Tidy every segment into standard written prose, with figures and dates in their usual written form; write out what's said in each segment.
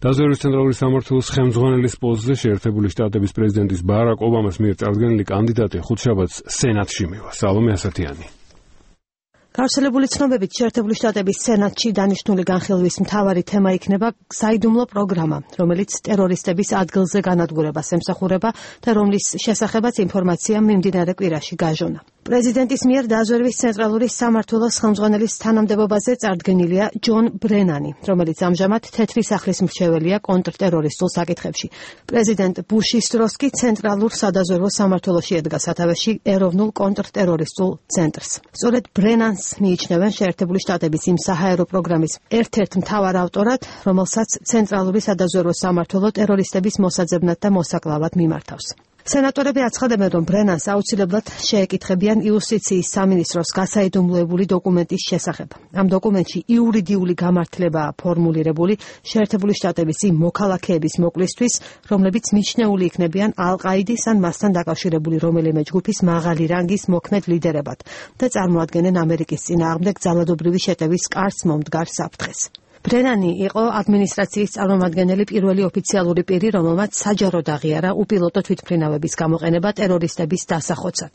დაზვერვის ცენტრალური სამმართველოს ხელმძღვანელის პოსტზე შეერთებული შტატების პრეზიდენტის ბარაკ ობამას მიერ წარდგენილი კანდიდატი ხუთშაბათს სენატში მივა. სალომე ასათიანი. გავრცელებული ცნობებით შეერთებული შტატების სენატში დანიშნული განხილვის მთავარი თემა იქნება საიდუმლო პროგრამა, რომელიც ტერორისტების ადგილზე განადგურებას ემსახურება და რომლის შესახებაც ინფორმაცია მიმდინარე კვირაში გაჟონა. პრეზიდენტის მიერ დაზვერვის ცენტრალური სამმართველოს ხელმძღვანელის თანამდებობაზე წარდგენილია ჯონ ბრენანი, რომელიც ამჟამად თეთრი სახლის მრჩეველია კონტრტერორისტულ საკითხებში. პრეზიდენტ ბუშის დროს კი ცენტრალურ სადაზვერვო სამმართველოში ედგა სათავეში ეროვნულ კონტრტერორისტულ ცენტრს. სწორედ ბრენანს მიიჩნევენ შეერთებული შტატების იმ საჰაერო პროგრამის ერთ-ერთ მთავარ ავტორად, რომელსაც ცენტრალური სადაზვერვო სამმართველო ტერორისტების მოსაძებნად და მოსაკლავად მიმართავს. სენატორები აცხადებენ, რომ ბრენანს აუცილებლად შეეკითხებიან იუსტიციის სამინისტროს გასაიდუმლოებული დოკუმენტის შესახებ. ამ დოკუმენტში იურიდიული გამართლებაა ფორმულირებული შეერთებული შტატების იმ მოქალაქეების მოკლისთვის, რომლებიც მიჩნეული იქნებიან ალ-ყაიდის ან მასთან დაკავშირებული რომელიმე ჯგუფის მაღალი რანგის მოქმედ ლიდერებად და წარმოადგენენ ამერიკის წინააღმდეგ ძალადობრივი შეტევის კარს მომდგარ საფრთხეს. ბრენანი იყო ადმინისტრაციის წარმომადგენელი პირველი ოფიციალური პირი, რომელმაც საჯაროდ აღიარა უპილოტო თვითმფრინავების გამოყენება ტერორისტების დასახოცად.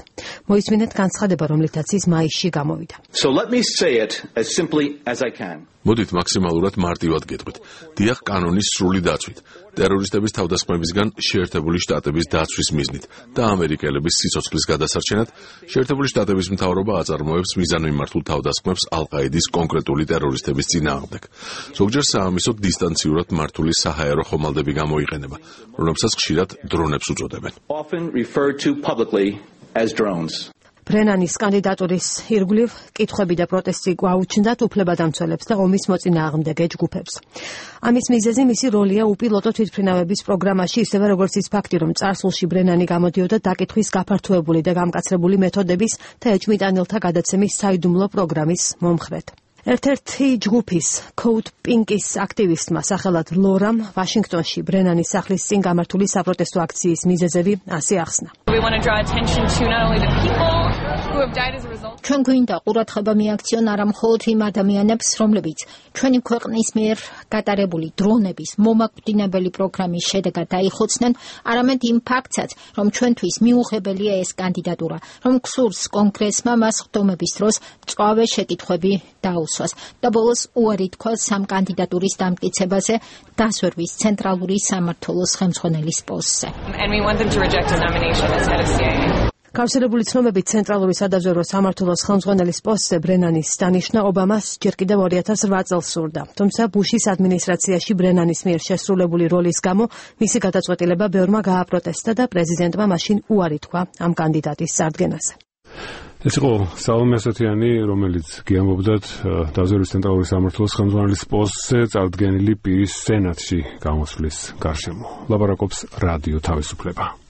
მოისმინეთ განცხადება, რომლითაც ის მაისში გამოვიდა. მოდით მაქსიმალურად მარტივად გეტყვით. დიახ, კანონის სრული დაცვით, ტერორისტების თავდასხმებისგან შეერთებული შტატების დაცვის მიზნით და ამერიკელების სიცოცხლის გადასარჩენად შეერთებული შტატების მთავრობა აწარმოებს მიზანმიმართულ თავდასხმებს ალ-ყაიდის კონკრეტული ტერორისტების წინააღმდეგ. ზოგჯერ საამისოდ დისტანციურად მართული საჰაერო ხომალდები გამოიყენება, რომლებსაც ხშირად დრონებს უწოდებენ. ბრენანის კანდიდატურის ირგვლივ კითხვები და პროტესტი გვაუჩნდათ უფლებადამცველებს და ომის მოწინააღმდეგე ჯგუფებს. ამის მიზეზი მისი როლია უპილოტო თვითმფრინავების პროგრამაში, ისევე როგორც ის ფაქტი, რომ წარსულში ბრენანი გამოდიოდა დაკითხვის გაფართოებული და გამკაცრებული მეთოდების და ეჭვმიტანილთა გადაცემის საიდუმლო პროგრამის მომხრედ. ერთ-ერთი ჯგუფის Code Pink-ის აქტივისტმა სახელად ლორამ ვაშინგტონში ბრენანის სახლის წინ გამართული საპროტესტო აქციის მიზეზები ასე ახსნა. ჩვენ გვინდა ყურადღება მიაქციონ არა მხოლოდ იმ ადამიანებს, რომლებიც ჩვენი ქვეყნის მიერ გატარებული დრონების მომაკვდინებელი პროგრამის შედეგად დაიხოცნენ, არამედ იმ ფაქტსაც, რომ ჩვენთვის მიუღებელია ეს კანდიდატურა, რომ გსურს კონგრესმა მას ხდომების დროს მწვავე შეკითხვები დაუსვას და ბოლოს უარი თქვას ამ კანდიდატურის დამტკიცებაზე დაზვერვის ცენტრალური სამმართველოს ხელმძღვანელის პოსტზე. გავრცელებული ცნობებით ცენტრალური სადაზვერვო სამმართველოს ხელმძღვანელის პოსტზე ბრენანის დანიშვნა ობამას ჯერ კიდევ 2008 წელს სურდა. თუმცა ბუშის ადმინისტრაციაში ბრენანის მიერ შესრულებული როლის გამო მისი გადაწყვეტილება ბევრმა გააპროტესტა და პრეზიდენტმა მაშინ უარი თქვა ამ კანდიდატის წარდგენაზე. ეს იყო სალომე ასათიანი, რომელიც გიამბობდათ დაზვერვის ცენტრალური სამმართველოს ხელმძღვანელის პოსტზე წარდგენილი პირის სენატში გამოსვლის გარშემო. ლაპარაკობს რადიო თავისუფლება.